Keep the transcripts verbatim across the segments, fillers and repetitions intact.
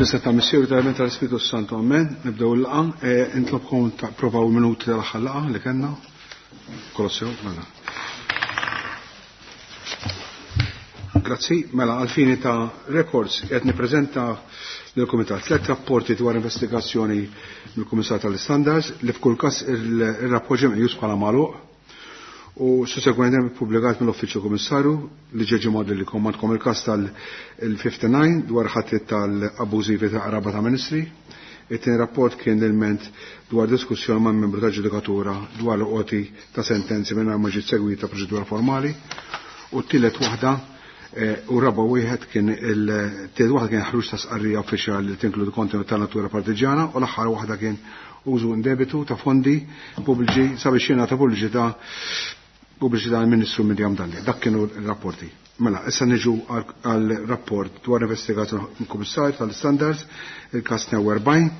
Fis-seta Missier tal tal-Ispiritu Santu, amen. Nibdew il-laqgħa, intlobkom tapprovaw minuti tal-aħħar laqgħa li kellna. Kolossew, mela. Grazzi, mela għal-fini ta' records qed nippreżenta lill-Kumitat tliet rapporti dwar investigazzjoni mill-Kummissar tal-Standards li f'kull każ ir-rapport ġie meqjus bħala magħluq u sussegwentement ippubblikat mill-Uffiċċju Kummissarju li ġie ġimgħa li komandkom il-każ tal-fifty-nine dwar ħatriet tal-abbużivi ta' qraba ta' ministri. It-tieni rapport kien l-ilment dwar diskussjoni ma' membru ta' ġudikatura dwar l-qoti ta' sentenzi mingħajr ma ġiet segwita proċedura formali. U t-tielet waħda u raba wieħed kien il-tielet waħda kien ħruġ ta' sqarrija uffiċjali li tinkludi kontenut ta' natura partiġjana u l-aħħar waħda kien użu indebitu ta' fondi pubbliċi sabiex jingħata pubbliċità pubbliċità għall-Ministru Miriam Dalli. Dak kienu r-rapporti. Mela, issa niġu għal rapport dwar investigazzjoni mill-Kummissarju tal-Standards, il-każ tnejn u erbgħin,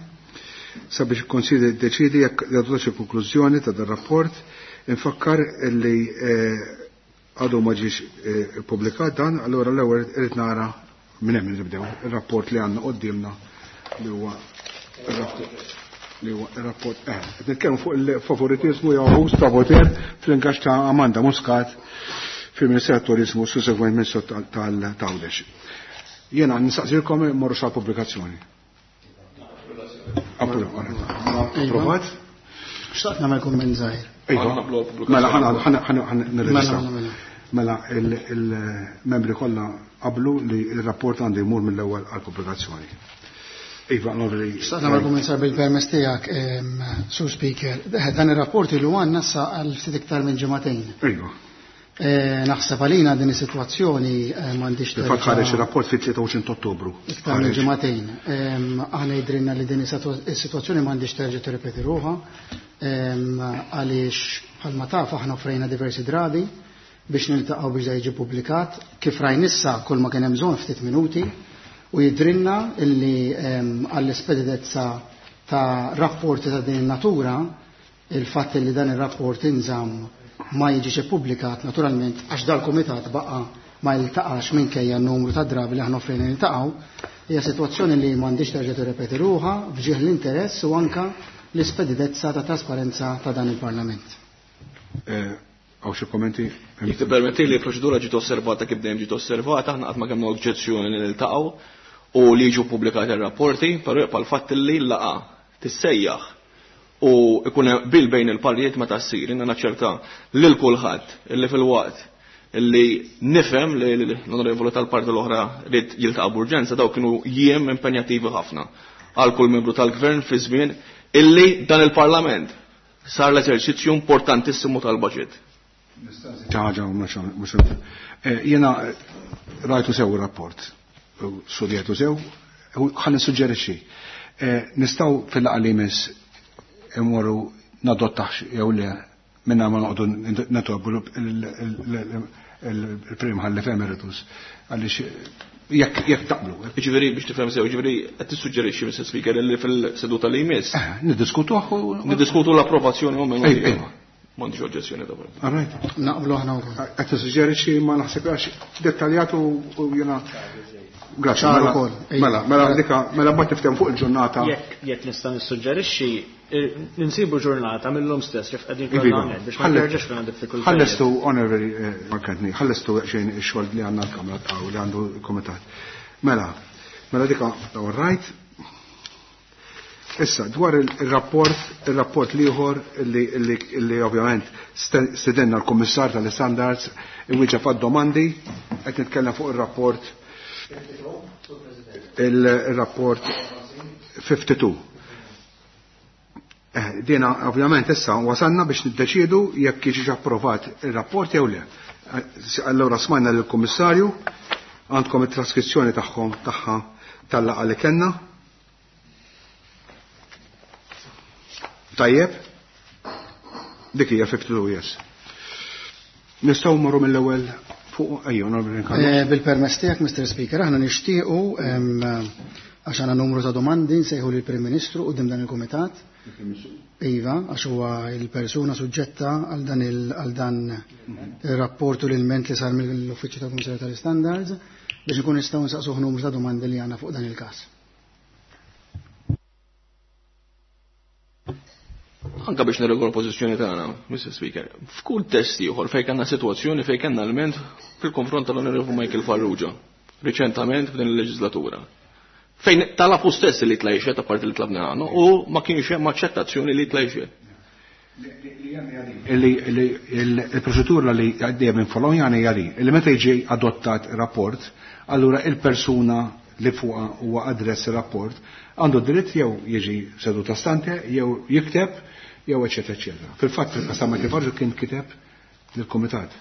sabiex il-Konsilju jiddeċiedi jekk jadottax il-konklużjoni ta' dan rapport. Infakkar li għadu ma ġiex ippubblikat dan, allura l-ewwel irid nara minn hemm nibdew ir-rapport li għandna quddiemna li huwa ir-rapport li huwa ir-rapport eh qed nitkellmu fuq il-favoritizmu jew abbuż ta' poter fl-ingaġġ ta' Amanda Muscat fil-Ministeru tat-Turizmu sussegwent Ministru tal-Għawdex. Jiena nistaqsilkom immorru sa pubblikazzjoni. Approvat? Xtaqt nagħmel kumment żgħir. Iva. Mela ħana ħana nirreġistraw. Mela il-membri kollha qablu li r-rapport għandu jmur mill-ewwel għall-pubblikazzjoni. Iva, onorevoli. Xtaqt nagħmel kumment żgħir bil-permess tiegħek, Sur Speaker. Dan ir-rapport ilu għandna sa għal ftit iktar minn ġimagħtejn. Iva. Naħseb għalina din is-sitwazzjoni m'għandix. Fil-fatt ħareġ ir-rapport fit-tlieta u għoxrin ta' Ottubru. Iktar minn ġimagħtejn. Aħna jidrinna li din is-sitwazzjoni m'għandix terġa' tirrepeti ruħha għaliex bħalma taf aħna offrejna diversi drabi biex niltaqgħu biex da jiġi ppubblikat. Kif rajn issa kull ma kien hemm bżonn ftit minuti u jidrinna illi għall-ispeditezza ta' rapporti ta' din in-natura il-fatt li dan ir-rapport inżamm ma jiġix ippubblikat naturalment għax dal-kumitat baqa' ma jiltaqax minkejja n-numru ta' drabi li aħna offrejna niltaqgħu, hija sitwazzjoni li m'għandix terġa' tirrepeti ruħha f'ġieħ l-interess u anka l-ispeditezza ta' trasparenza ta' dan il-Parlament. Hawn xi kommenti? Jekk tippermetti li l-proċedura ġiet osservata kif dejjem ġiet osservata, aħna qatt ma kellna oġġezzjoni li niltaqgħu u li jiġu pubblikati r-rapporti, però jibqa' l-fatt li l-laqgħa tissejjaħ u ikun hemm qbil bejn il-partijiet meta ssir. Inna naċċerta lil kulħadd illi fil-waqt illi nifhem li l-onorevoli tal-parti l-oħra rid jiltaqa' b'urġenza, dawk kienu jiem impenjattivi ħafna għal kull membru tal-gvern fi żmien illi dan il-Parlament sar l-eżerċizzju importantissimu tal-budget. Ħaġa mhux jiena rajtu sew ir-rapport, studjatu sew, ħa nissuġġerixxi. Nistgħu fil-laqgħa li jmiss imorru nadottax jew le minna ma noqogħdu nitolbu il-Prim Ħallef Emeritus għaliex jekk jekk taqblu. Jiġifieri biex tifhem sew, jiġifieri qed tissuġġerixxi Mister Speaker li fil-seduta li jmiss. Niddiskutuh u niddiskutu l-approvazzjoni u minn. Ejwa. M'għandix oġġezzjoni ta' All right. Naqblu aħna wkoll. Qed tissuġġerixxi ma naħseb għax dettaljat u jiena Grazie, Ċar mela, ukoll. mela, mela, dika, mela mbagħad niftehmu fuq il-ġurnata. Jekk, jekk nista' nissuġġerixxi, ninsibu ġurnata mill-lum stess kif qegħdin Iva. kollha hawnhekk biex ma nerġax fina diffikultajiet. Ħallestu, onorevoli, Mark Anthony, ħallestu xejn ix-xogħol li għandna l-Kamra ta' li għandu l-Kumitat. Mela, mela dika, all right. Issa, dwar il-rapport, il-rapport liħor li, li, li ovvjament stedenna l-Kummissar tal-Standards iwieġeb għad-domandi, qed nitkellem fuq il-rapport il-rapport fifty-two. Eh, dina ovvjament issa wasalna biex niddeċiedu jekk jiġix approvat il-rapport jew le. Eh, allura smajna lill-Kummissarju, għandkom it-traskrizzjoni tagħhom tagħha tal-laqgħa li kellna. Tajjeb? Dik hija fifty-two, yes. Nistgħu mmorru mill-ewwel fuq, ejja, onorevoli Carlos. Eh, bil-permess tiegħek, Mister Speaker, aħna nixtiequ, em, għax għandna numru ta' domandi nsejħu lill-Prim Ministru quddiem dan il-Kumitat. Iva, għax huwa il-persuna suġġetta għal dan il-, għal dan ir-rapport u l-ilment li sar mill-Uffiċċju tal-Kummissarju tal-Standards biex ikun nistgħu nsaqsuh numru ta' domandi li għandna fuq dan il-każ. Anka biex nirregola l-pożizzjoni tagħna, Mister Speaker, f'kull test ieħor fejn kellna sitwazzjoni fejn kellna alment fil-konfront tal-Onorevoli Michael Farrugia, riċentament f'din il-leġislatura. Fejn talab hu stess li jitla' jixhed apparti li tlabna għandna u ma kienx hemm aċċettazzjoni li jitla' jixhed. Il-proċedura li għaddejja minn Folonjani hija li li meta jiġi adottat rapport, allura il-persuna li fuqha huwa adress ir-rapport għandu dritt jew jiġi seduta stante jew jikteb jew eċetera eċetera. Fil-fatt fil-każ ta' Michael Farrugia kien kiteb lill-kumitat.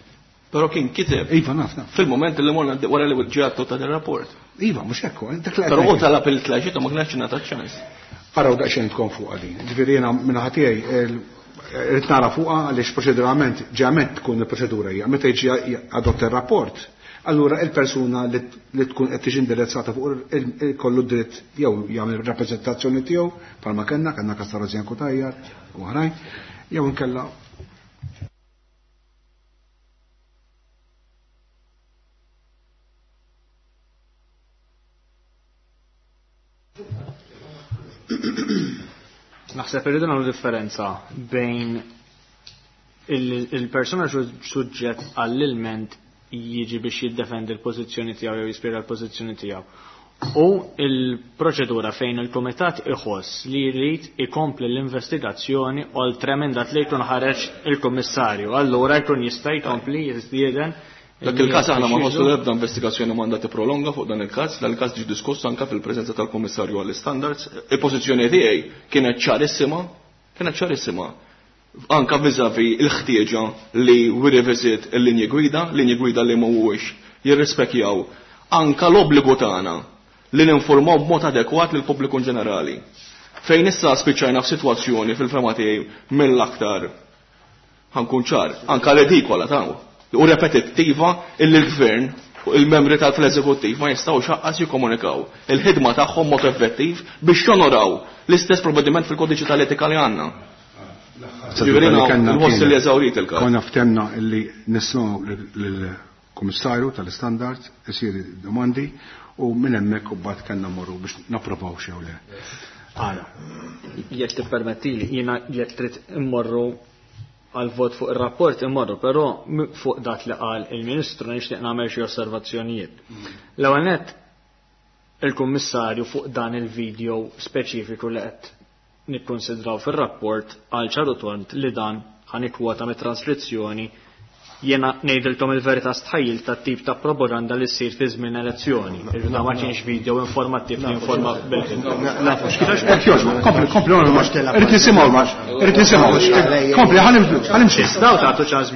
Però kien kiteb. Iva, naf, naf. Fil-moment li morna wara li ġie adottat ir-rapport. Iva, mhux hekk, dak li Però hu talab il-tlaġiet u ma kienx ingħata ċans. Araw daqsxejn tkun fuqha din. Ġifieri jiena minn tiegħi irrid nara fuqha għaliex proċedurament ġeament tkun il-proċedura hija meta jiġi adotta ir-rapport, allura il-persuna li tkun qed tiġi indirizzata fuq kollu dritt jew jagħmel rappreżentazzjoni tiegħu bħalma kellna kellna każ ta' Rosianne Cutajar u oħrajn, jew inkella Naħseb irridu nagħmlu differenza bejn il-persuna suġġett għall-ilment jiġi biex jiddefendi l-pożizzjoni tiegħu jew jispjega l-pożizzjoni tiegħu. U il-proċedura fejn il-kumitat iħoss li jrid ikompli l-investigazzjoni oltre minn dak li jkun ħareġ il-kummissarju. Allura jkun jista' jkompli jistieden. Dak il-każ aħna ma nħossu l-ebda investigazzjoni mandat prolonga fuq dan il-każ, dan il-każ ġie diskuss anke fil-preżenza tal-Kummissarju għall-Standards. Il-pożizzjoni tiegħi kienet ċarissima, kienet ċarissima. Anka viżavi il-ħtieġa li we revisit il-linji gwida, linji gwida li mhuwiex jirrispekjaw anka l-obbligu tagħna li ninformaw b'mod adekwat lill pubbliku ġenerali. Fejn issa spiċċajna f'sitwazzjoni fil-fema tiegħi mill-aktar ħankun ċar, anka redikola tagħu u repetittiva illi l-gvern u il-membri tal-eżekuttiv ma jistgħux aqqas jikkomunikaw il-ħidma tagħhom mod effettiv biex jonoraw l-istess provvediment fil-kodiċi tal-etika li għandna. Ġifieri nħoss li eżawrit il-każ. Konna ftemna illi nismgħu lill-Kummissarju tal-Istandard isir domandi u minn hemmhekk u mbagħad kellna mmorru biex napprovaw xew le. Ara, jekk tippermettili, jiena jekk trid immorru għal vot fuq ir-rapport immorru, però fuq dak li qal il-Ministru nixtieq nagħmel xi osservazzjonijiet. L-ewwel nett il-Kummissarju fuq dan il-video speċifiku li qed nikkonsidraw fir-rapport għal ċaru tont li dan ħanikwota mit-transkrizzjoni jiena ngħidilkom il-verità stħajjil tat-tip ta' propaganda li ssir fi żmien elezzjoni. Irna ma kienx video informattiv li informa bil-ħin. Kompli, kompli, irrid nisimgħu max, irrid nisimgħu. Kompli, ħanimxu. Daw tagħtu ċans.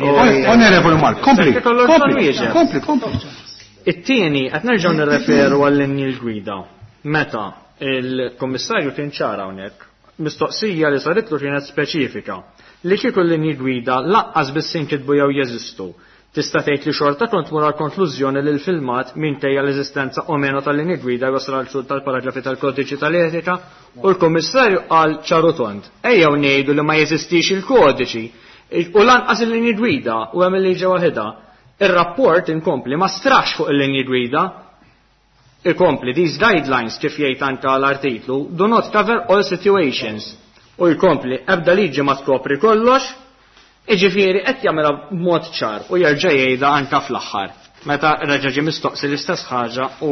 Onorevoli Mark, kompli, kompli, kompli, kompli. It-tieni qed nerġgħu nirreferu għall-linji l-gwida. Meta il-Kummissarju kien ċara hawnhekk, mistoqsija li saritlu kienet speċifika li kieku l-linji gwida laqqas biss inkitbu jew jeżistu. Tista' tgħid li xorta kont mura l-konklużjoni li l-filmat minkejja l-eżistenza o meno tal-linji gwida wasal għal xhur tal-paragrafi tal-kodiċi tal-etika u l-Kummissarju qal ċaru tont. Ejjew ngħidu li ma jeżistix il-kodiċi u lanqas il-linji gwida u hemm il-liġi waħedha. Ir-rapport inkompli ma strax fuq il-linji gwida. Ikompli these guidelines kif jgħid anke l-artiklu do not cover all situations. U jkompli ebda liġi ma tkopri kollox, iġifieri qed jagħmilha b'mod ċar u jerġa' jgħidha anke fl-aħħar. Meta reġa' ġie mistoqsi l-istess ħaġa u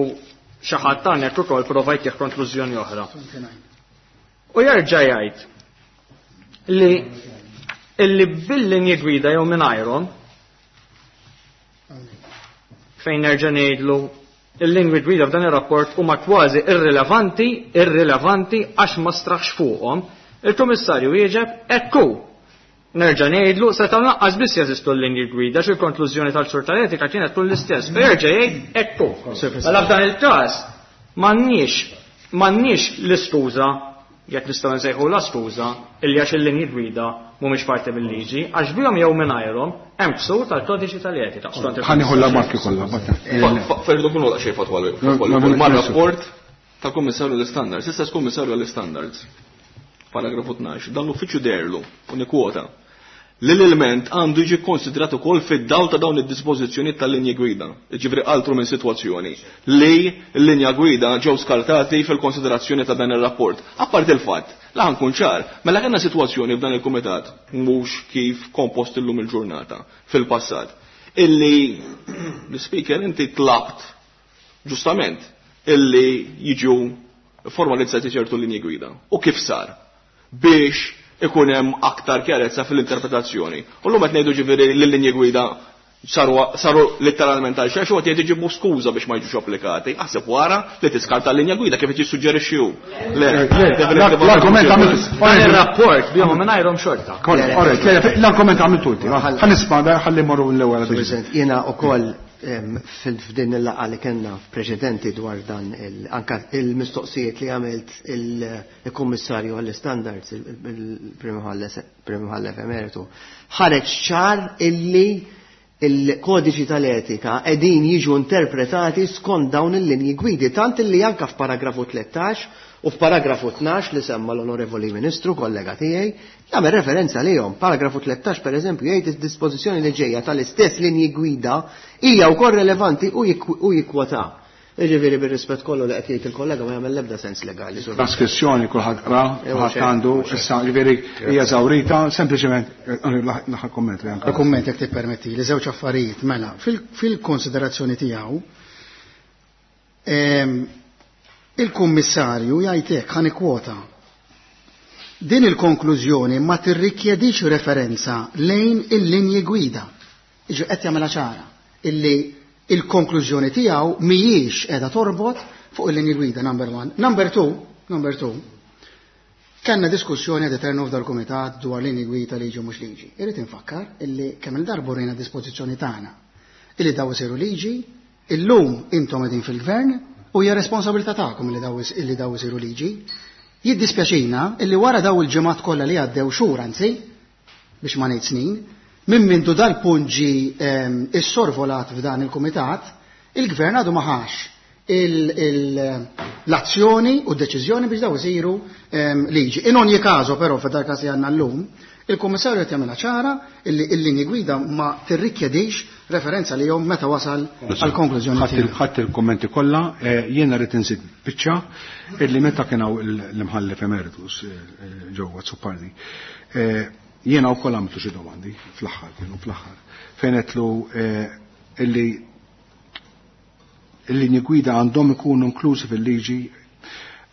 xi ħadd hawnhekk ukoll prova jtih konklużjoni oħra. U jerġa' jgħid li illi bil-linji gwida jew mingħajrhom fejn nerġa' ngħidlu il-lingwi gwida f'dan ir-rapport huma kważi irrilevanti, irrilevanti għax ma straħx fuqhom. Il-Kummissarju wieġeb ekku. Nerġa' ngħidlu se tal-naqqas biss jeżistu l-linji gwida xi konklużjoni tal-ksur tal-etika kienet tkun l-istess. Jerġa' jgħid ekku. Mela f'dan il-każ m'għandniex m'għandniex l-iskuża jekk nistgħu nsejħu la skuża illi għax il-linji gwida mhumiex parti mill-liġi, għax bihom jew mingħajrhom hemm ksur tal-kodiċi tal-etika. Ħanieħu la marki kollha. Ferdu kunu daqsxejn fatwali. Mar-rapport tal-Kummissarju l-Istandards, istess Kummissarju l-Istandards. Paragrafu tnax, dan l-uffiċċju derlu, u nikkwota, Li l-ilment għandu jiġi konsidrat ukoll fid-dawl ta' dawn id-dispożizzjonijiet tal-linji gwida. Jiġifieri altru minn sitwazzjoni li l-linja gwida ġew skartati fil-konsiderazzjoni ta' dan ir-rapport. Apparti il-fatt, la nkun ċar, mela kellna sitwazzjoni f'dan il-kumitat mhux kif kompost illum il-ġurnata fil-passat, illi l-speaker inti tlabt ġustament illi jiġu formalizzati ċertu linji gwida. U kif sar? Biex ikun hemm aktar kjarezza fil-interpretazzjoni. U llum qed ngħidu ġifieri li l-linji gwida saru, saru letteralment għal xejn, u qed jgħid skuża biex ma jiġux applikati. Aħseb wara li tiskarta l-linja gwida kif qed jissuġġerixxi hu. Le, l-argument għamiltu. Dan ir-rapport bihom mingħajrhom xorta. L-argument għamiltu inti. Ħa nisma' ħalli mmorru l-ewwel. President, jiena wkoll f'din il-laqgħa li kellna preċedenti dwar dan anka il-mistoqsijiet li għamilt il-Kummissarju għall-Standards, il-Prim Imħallef Emeritu, ħareġ ċar illi il-kodiċi tal-etika qegħdin jiġu interpretati skont dawn il-linji gwidi, tant illi anka f'paragrafu tlettax u f'paragrafu tnax li semma l-Onorevoli Ministru, kollega tiegħi, jagħmel referenza lihom. Paragrafu tlettax pereżempju jgħid id-dispożizzjoni li ġejja tal-istess linji gwida hija wkoll relevanti u jikkwota. Jiġifieri bir-rispett kollu li qed jgħid il-kollega ma jagħmel l-ebda sens legali. Traskrizzjoni kulħadd qra, kulħadd għandu, issa jiġifieri hija żawrita, sempliċement l-aħħar kumment li anke. Kumment jekk tippermetti li żewġ affarijiet mela fil-konsiderazzjoni tiegħu il-kummissarju jgħid hekk, ħa nikkwota. Din il-konklużjoni ma tirrikjedix referenza lejn il-linji gwida. Iġu qed jagħmilha ċara illi il-konklużjoni tiegħu mhijiex qiegħda torbot fuq il-linji gwida, number one. Number two, number two, kellna diskussjoni ad eternu f'dal kumitat dwar linji gwida liġi u mhux liġi. Irrid infakkar illi kemm il-darba rejna dispożizzjoni tagħna illi daw isiru liġi, illum intom qegħdin fil-gvern u hija responsabilità tagħkom illi daw illi daw isiru liġi. Jiddispjaċina illi wara daw il-ġimgħat kollha li għaddew xhur anzi, biex ma ngħid snin, minn mindu dal-punt ġi issorvolat f'dan il-kumitat, il-gvern għadu ma ħax l-azzjoni u d-deċiżjoni biex daw isiru liġi. In ogni caso però f'dal każ li għandna llum, il-Kummissarju qed jagħmilha ċara illi l-linji gwida ma tirrikjedix referenza li jom meta wasal għal konklużjoni. Ħadd il-kommenti kollha, jiena rrid inżid biċċa illi meta kien hawn l-imħallef emeritus ġewwa Azzopardi. Jiena wkoll għamiltu xi domandi fl-aħħar kienu fl-aħħar fejn qedlu illi il-linji gwida għandhom ikunu inklużi fil-liġi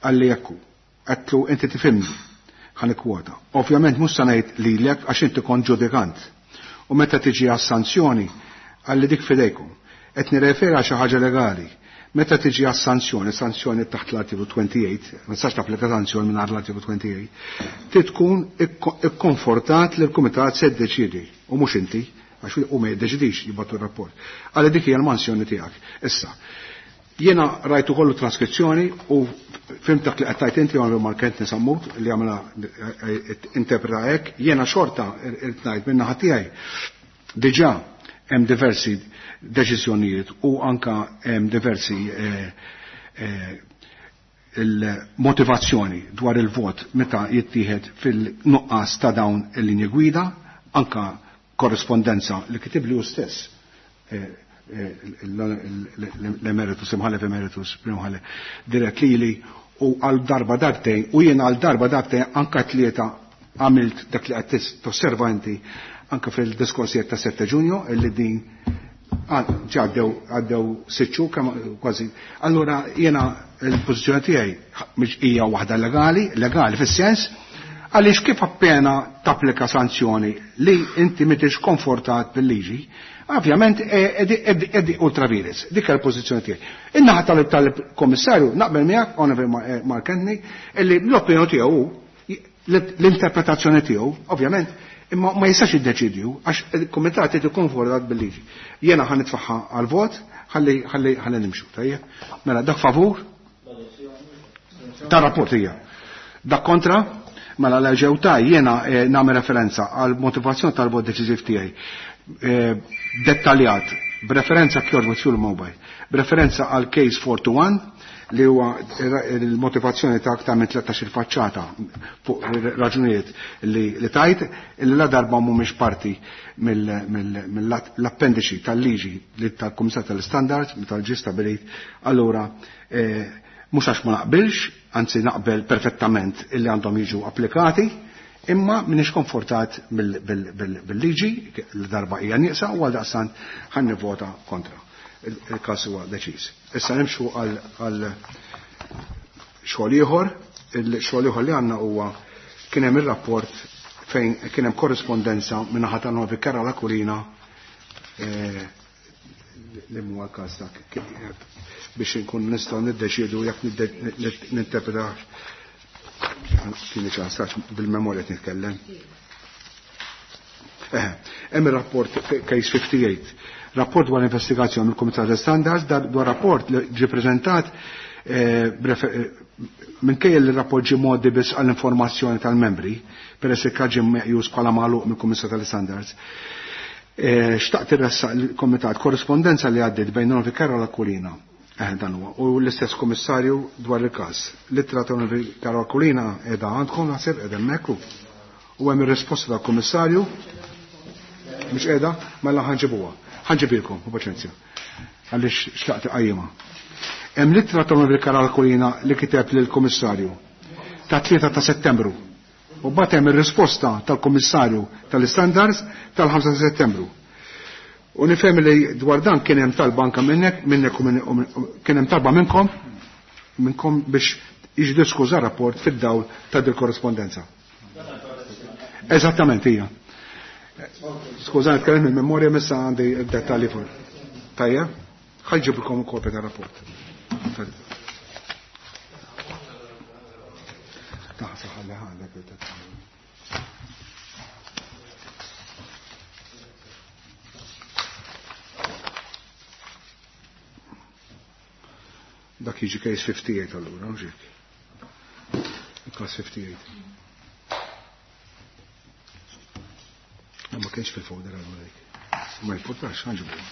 għalli jekku. Għedtlu inti tifhimni, ħa nikkwota. Ovvjament mhux se ngħid lilek għax inti kont ġudikant. U meta tiġi għas-sanzjoni għalli dik fidejkom. Qed nirreferi għal xi ħaġa legali. Meta tiġi għas-sanzjoni, sanzjoni taħt l-artiklu twenty-eight, ma tistax tapplika sanzjoni mingħajr l-artiklu twenty-eight, trid tkun ikkonfortat li l-kumitat se jiddeċiedi u mhux inti, għax hu ma jiddeċidix jibgħatu r-rapport. Għalli dik hija l-mansjoni tiegħek. Issa, jiena rajtu kollu traskrizzjoni u fimtak li qed tgħid inti għamlu Mark Anthony Sammut li għamla interpreta hekk, jiena xorta irid ngħid min-naħa tiegħi. Diġà hemm diversi deċiżjonijiet u anka hemm diversi il-motivazzjoni dwar il-vot meta jittieħed fil-nuqqas ta' dawn il-linji gwida, anka korrespondenza li kitib li hu stess l-emeritus, imħallef emeritus, prim imħallef, dirett lili u għal darba darbtejn, u jiena għal darba darbtejn anka tlieta għamilt dak li qed tosserva inti anka fil-diskorsijiet ta' sette Ġunju illi din ġaddew għaddew sitt xhur kemm kważi. Allura jiena l-pożizzjoni tiegħi mhix hija waħda legali, legali fis-sens għaliex kif appena tapplika sanzjoni li inti m'intix konfortat bil-liġi, ovvjament edi ultra vires. Dik hija l-pożizzjoni tiegħi. In-naħa tal-Kommissarju naqbel miegħek, Onorevoli Mark Anthony, illi l-opinjoni tiegħu l-interpretazzjoni tiegħu, ovvjament, imma ma jistax jiddeċidju għax il-kumitat irid ikun konfortat bil-liġi. Jiena ħa nitfaħħa għal-vot, ħalli ħalli ħalli nimxu, tajjeb. Mela dak favur? Ta' rapport hija. Dak kontra? Mela l ġew ta' jiena nagħmel referenza għal motivazzjoni tal-vot deċiżiv tiegħi. Dettaljat B'referenza kjorġ with fuel mobile. B'referenza għal case four to one li huwa il-motivazzjoni ta' aktar minn tlettax-il faċċata fuq raġunijiet li, li tajt li la darba mhumiex parti mill-appendiċi tal-liġi li tal-Kummissar tal-Standards tal-ġi stabilit, allura eh, mhux għax ma naqbilx, anzi naqbel perfettament illi għandhom jiġu applikati, imma minix konfortat bil-liġi li darba hija nieqsa u għal daqstant ħan nivvota kontra. Il-każ huwa deċiż. Issa nimxu għal xogħol ieħor, il-xogħol ieħor li għandna huwa kien hemm ir-rapport fejn kien hemm korrispondenza minn naħa ta' Novi Karol Aquilina li huwa l-każ dak biex inkun nistgħu niddeċiedu jekk ninterpreta kien ċansax bil-memorja nitkellem. Hemm ir-rapport case fifty-eight, rapport dwar investigazzjoni mill-Kumitat tal-Standards, dwar rapport li ġie preżentat minkejja li r-rapport ġie mgħoddi biss għall-informazzjoni tal-membri, peress li ġie meqjus bħala magħluq mill-Kumitat tal-Standards. Xtaqt irressaq il-Kumitat korrispondenza li għaddiet bejn Novi Karol Aquilina. Dan huwa. U l-istess kummissarju dwar il-każ. L-ittra ta' Novi Karol Aquilina qiegħda għandkom naħseb qiegħda hemmhekk u hemm ir-risposta tal-kummissarju mhux qiegħda mela ħanġibuha. Ħanġibilkom, u paċenzja. Għaliex xtaqt iqajjimha. Hemm l-ittra ta' Novi Karol Aquilina li kiteb lill-kummissarju ta' tlieta ta' Settembru. U mbagħad hemm ir-risposta tal-Kummissarju tal-Istandards tal-ħamsa ta' Settembru. U nifhem li dwar dan kien hemm talba anke minnek, minnek u minn, kien hemm talba minnkom, minnkom biex jiġi diskuża rapport fid-dawl ta' dil korrespondenza. Eżattament hija. Skużani, nitkellem mill-memorja missa għandi d-dettalji fuq. Tajja, ħajġibilkom kopja tar-rapport. Taħseb ħalli għandek il-dettalji. Dak jiġi case fifty-eight allura, mhux hekk? Case fifty-eight. Ma kienx fil-folder allura dik. Ma jipportax, ħanġibu.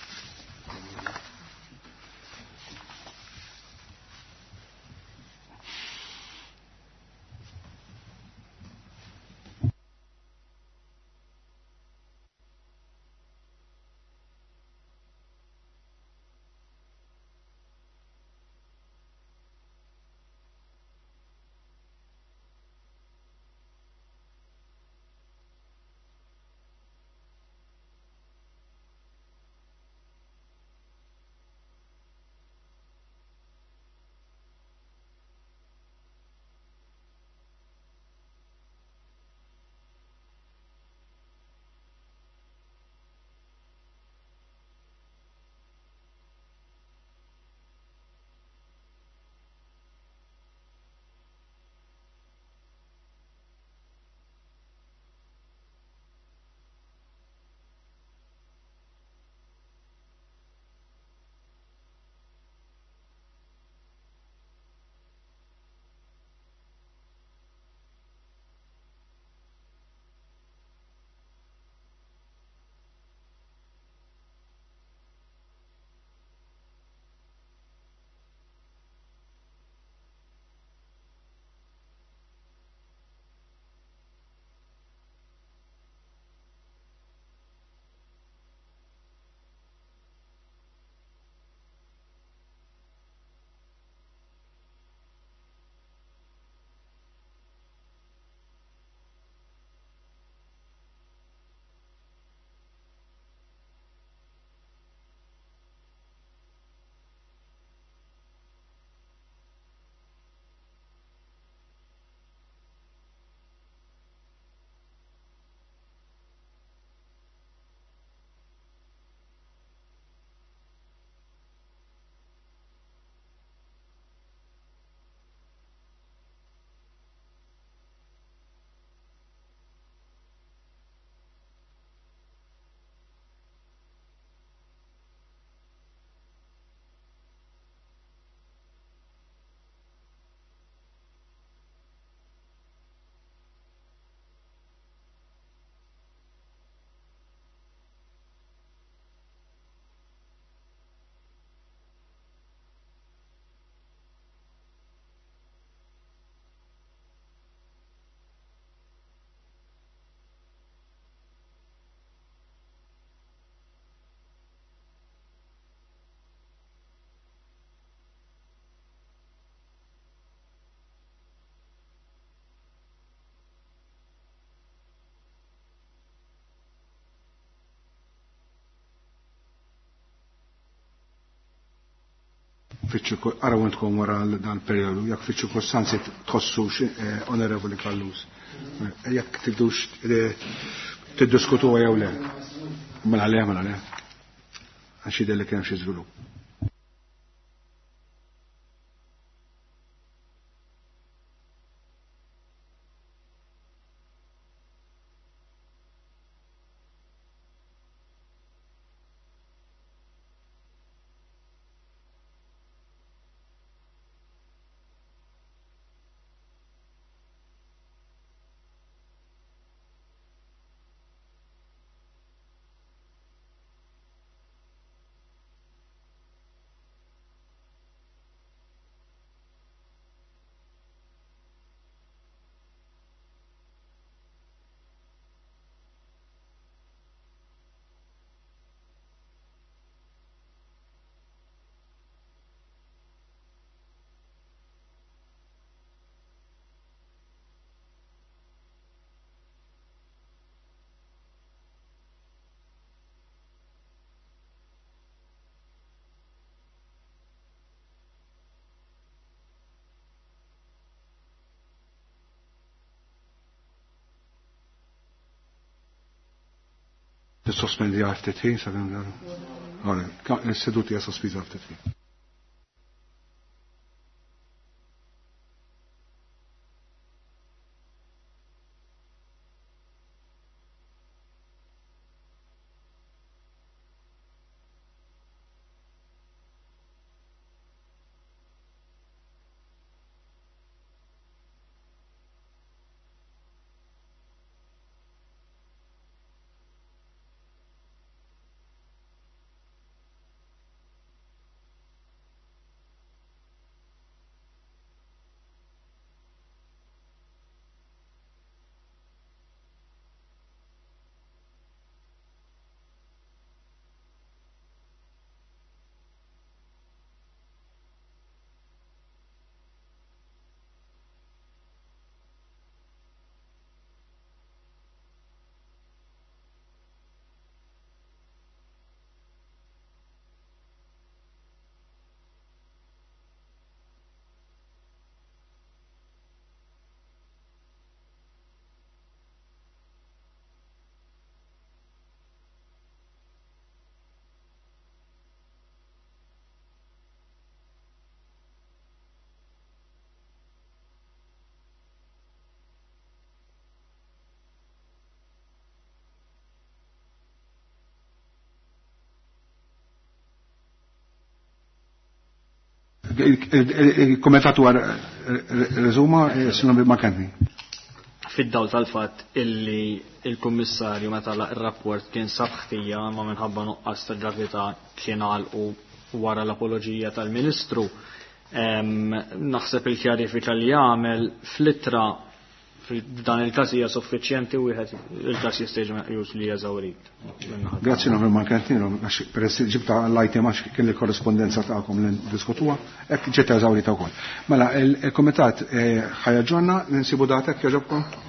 Araw intkom wara dan periodu, jekk fiċ-ċirkostanzi tħossux, Onorevoli Callus, jekk tridux tiddiskutuha jew le. Mela le, mela le. Għax jidher li kien hemm xi żvilupp. Sospendi għal ftit ħin, sakemm daru. Is-seduti hija sospiża għal ftit ħin. Il-komitat huwa reżuma, Sinjor McKenzie. Fid-dawl tal-fatt illi il-Kummissarju meta ir-rapport kien sab ħtija ma minħabba nuqqas ta' gravità kien għalqu wara l-apoloġija tal-Ministru, naħseb il-kjarifika li jagħmel fl-ittra f'dan il-każ hija suffiċjenti u wieħed il-każ jista' jiġi meqjus li eżawrit. Grazzi Onorevoli McKenzie, għax peress ġibta l-item għax kien il-korrespondenza tagħkom li ndiskutuha, hekk ġiet eżawrita wkoll. Mela, il-kumitat ħajaġġorna, ninsibu datek jogħġobkom?